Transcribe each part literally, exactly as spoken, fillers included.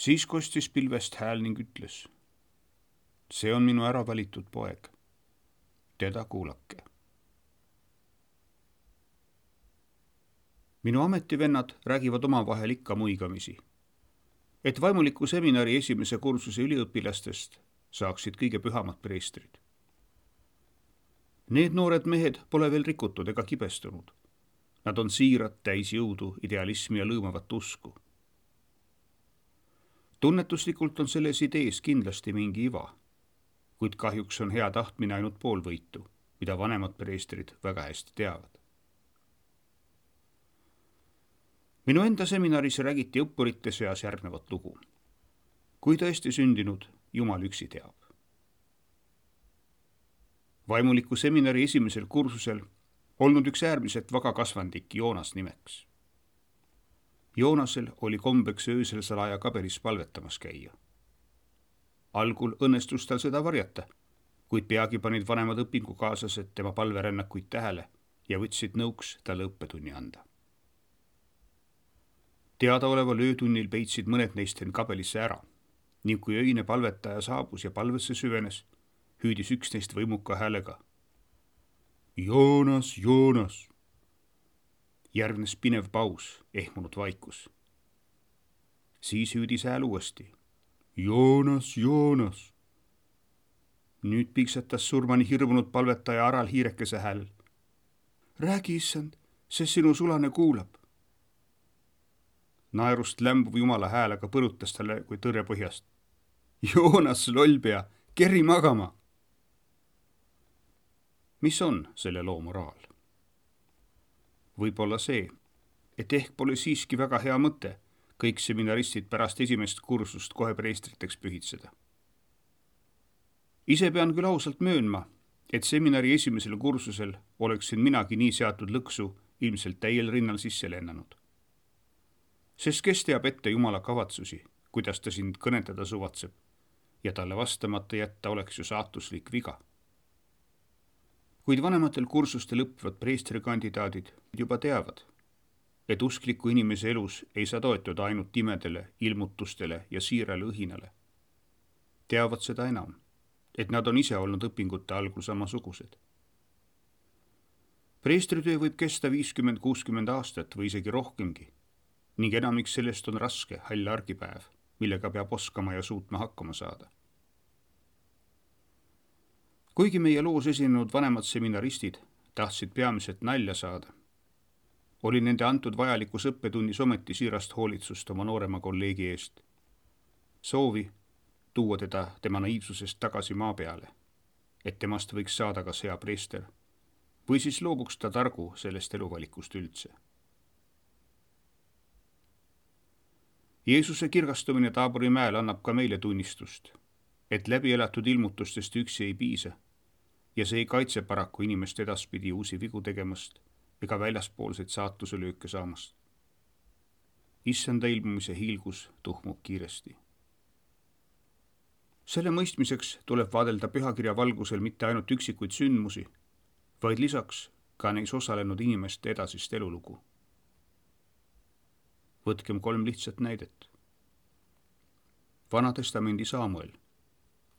Siis kostis pilvest hääl ning ütles: see on minu ära valitud poeg, teda kuulake. Minu ametivennad räägivad omavahel ikka muigamisi, et vaimuliku seminari esimese kursuse üliõpilastest saaksid kõige pühamad preestrid. Need noored mehed pole veel rikutud ega kibestunud. Nad on siirad, täis jõudu, idealismi ja lõõmavat usku. Tunnetuslikult on selles idees kindlasti mingi iva, kuid kahjuks on hea tahtmine ainult pool võitu, mida vanemad preestrid väga hästi teavad. Minu enda seminaris räägiti õppurite seas järgnevat lugu. Kui tõesti sündinud, Jumal üksi teab. Vaimuliku seminari esimesel kursusel olnud üks äärmiselt vaga kasvandik Joonas nimeks. Joonasel oli kombeks öösel salaja kabelis palvetamas käia. Algul õnnestus tal seda varjata, kuid peagi panid vanemad õpingukaaslased tema palverännakuid tähele ja võtsid nõuks talle õppetunni anda. Teadaoleval öötunnil peitsid mõned neist end kabelisse ära ning kui öine palvetaja saabus ja palvesse süvenes, hüüdis üks neist võimuka häälega: Joonas, Joonas! Järgnes pinev paus, ehmunud vaikus. Siis hüüdis hääl uuesti: Joonas, Joonas! Nüüd piksetas surmani hirmunud palvetaja Aral hiirekese hääl: räägi, issand, see sinu sulane kuulab. Naerust lämbuv Jumala hääl aga põrutas talle kui tõrje põhjast: Joonas, lollpea, kerri magama! Mis on selle loo moraal? Võib-olla see, et ehk pole siiski väga hea mõte kõik seminaristid pärast esimest kursust kohe preestriteks pühitseda. Ise pean küll ausalt möönma, et seminari esimesel kursusel oleksin minagi nii seatud lõksu ilmselt täiel rinnal sisse lennanud. Sest kes teab ette Jumala kavatsusi, kuidas ta sind kõnetada suvatseb, ja talle vastamata jätta oleks ju saatuslik viga. Kuid vanematel kursustel õppivad preestrikandidaadid juba teavad, et uskliku inimese elus ei saa toetuda ainult imedele, ilmutustele ja siirale õhinale. Teavad seda enam, et nad on ise olnud õpingute algul samasugused. Preestritöö võib kesta viiskümmend kuuskümmend aastat või isegi rohkemgi, ning enamik sellest on raske, hall argipäev, millega peab oskama ja suutma hakkama saada. Kuigi meie loos esinenud vanemad seminaristid tahtsid peamiselt nalja saada, oli nende antud vajalikus õppetunnis ometi siirast hoolitsust oma noorema kolleegi eest. Soovi tuua teda tema naiivsusest tagasi maa peale, et temast võiks saada kas hea preester, või siis loobuks ta targu sellest eluvalikust üldse. Jeesuse kirgastumine Taabori mäel annab ka meile tunnistust, et läbi elatud ilmutustest üksi ei piisa ja see ei kaitse paraku inimest edaspidi uusi vigu tegemast ega väljaspoolseid saatuse lööke saamast. Issanda ilmumise hiilgus tuhmub kiiresti. Selle mõistmiseks tuleb vaadelda pühakirja valgusel mitte ainult üksikuid sündmusi, vaid lisaks ka neis osalenud inimeste edasist elulugu. Võtkem kolm lihtsat näidet. Vanatestamendi Saamuel,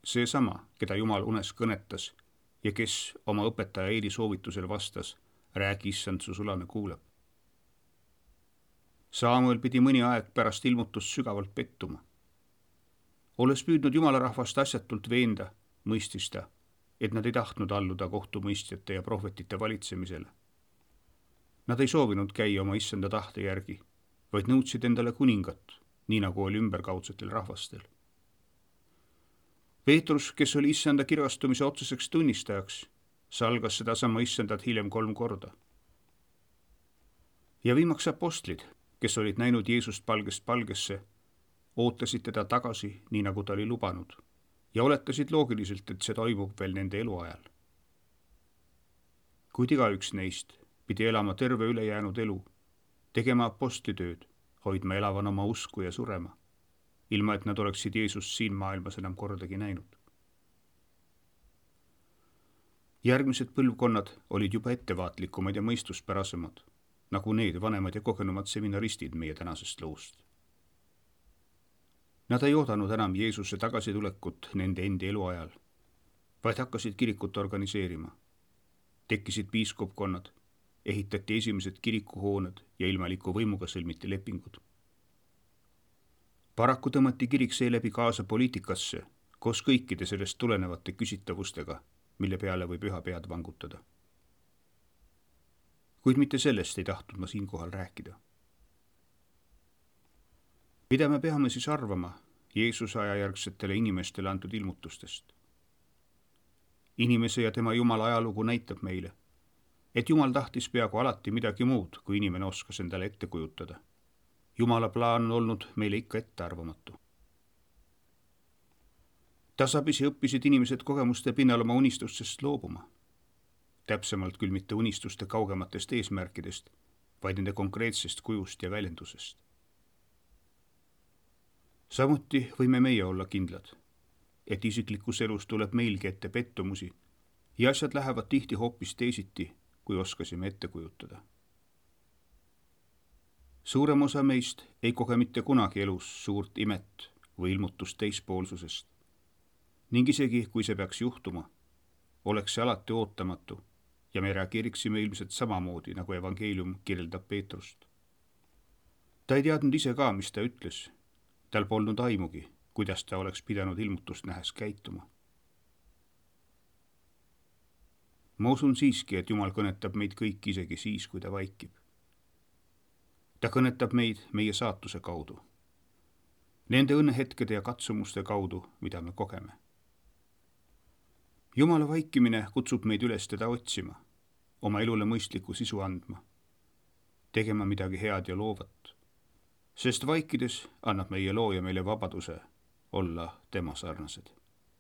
seesama, keda Jumal unes kõnetas ja kes oma õpetaja Eeli soovitusel vastas: räägi, issand, su sulane kuulab. Saamuel pidi mõni aeg pärast ilmutust sügavalt pettuma. Olles püüdnud Jumala rahvast asjatult veenda, mõistis ta, et nad ei tahtnud alluda kohtumõistjate ja prohvetite valitsemisele. Nad ei soovinud käia oma issanda tahte järgi, vaid nõudsid endale kuningat, nii nagu oli ümberkaudsetel rahvastel. Peetrus, kes oli issanda kirgastumise otseseks tunnistajaks, salgas seda sama issandat hiljem kolm korda. Ja viimaks apostlid, kes olid näinud Jeesust palgest palgesse, ootasid teda tagasi, nii nagu ta oli lubanud, ja oletasid loogiliselt, et see toimub veel nende eluajal. Kuid igaüks neist pidi elama terve ülejäänud elu, tegema apostlitööd, hoidma elavan oma usku ja surema, ilma et nad oleksid Jeesust siin maailmas enam kordagi näinud. Järgmised põlvkonnad olid juba ettevaatlikumad ja mõistuspärasemad, nagu need vanemad ja kogenumad seminaristid meie tänasest loost. Nad ei oodanud enam Jeesuse tagasitulekut nende endi eluajal, vaid hakkasid kirikut organiseerima. Tekkisid piiskopkonnad, ehitati esimesed kirikuhooned ja ilmaliku võimuga sõlmiti lepingud. Paraku tõmmati kirik seeläbi kaasa poliitikasse koos kõikide sellest tulenevate küsitavustega, mille peale võib üha pead vangutada. Kuid mitte sellest ei tahtnud ma siinkohal rääkida. Mida me peame siis arvama Jeesuse ajajärgsetele inimestele antud ilmutustest? Inimese ja tema Jumala ajalugu näitab meile, et Jumal tahtis peaaegu alati midagi muud, kui inimene oskas endale ette kujutada. Jumala plaan on olnud meile ikka ettearvamatu. Tasapisi õppisid inimesed kogemuste pinnal oma unistustest loobuma. Täpsemalt küll mitte unistuste kaugematest eesmärkidest, vaid nende konkreetsest kujust ja väljendusest. Samuti võime meie olla kindlad, et isiklikus elus tuleb meilgi ette pettumusi ja asjad lähevad tihti hoopis teisiti, kui oskasime ette kujutada. Suurem osa meist ei koge mitte kunagi elus suurt imet või ilmutust teispoolsusest ning isegi, kui see peaks juhtuma, oleks see alati ootamatu ja me reageeriksime ilmselt samamoodi, nagu evangeelium kirjeldab Peetrust. Ta ei teadnud ise ka, mis ta ütles. Tal polnud aimugi, kuidas ta oleks pidanud ilmutust nähes käituma. Ma usun siiski, et Jumal kõnetab meid kõik isegi siis, kui ta vaikib. Ta kõnetab meid meie saatuse kaudu, nende õnnehetkede ja katsumuste kaudu, mida me kogeme. Jumala vaikimine kutsub meid üles teda otsima, oma elule mõistliku sisu andma, tegema midagi head ja loovat, sest vaikides annab meie looja meile vabaduse olla tema sarnased.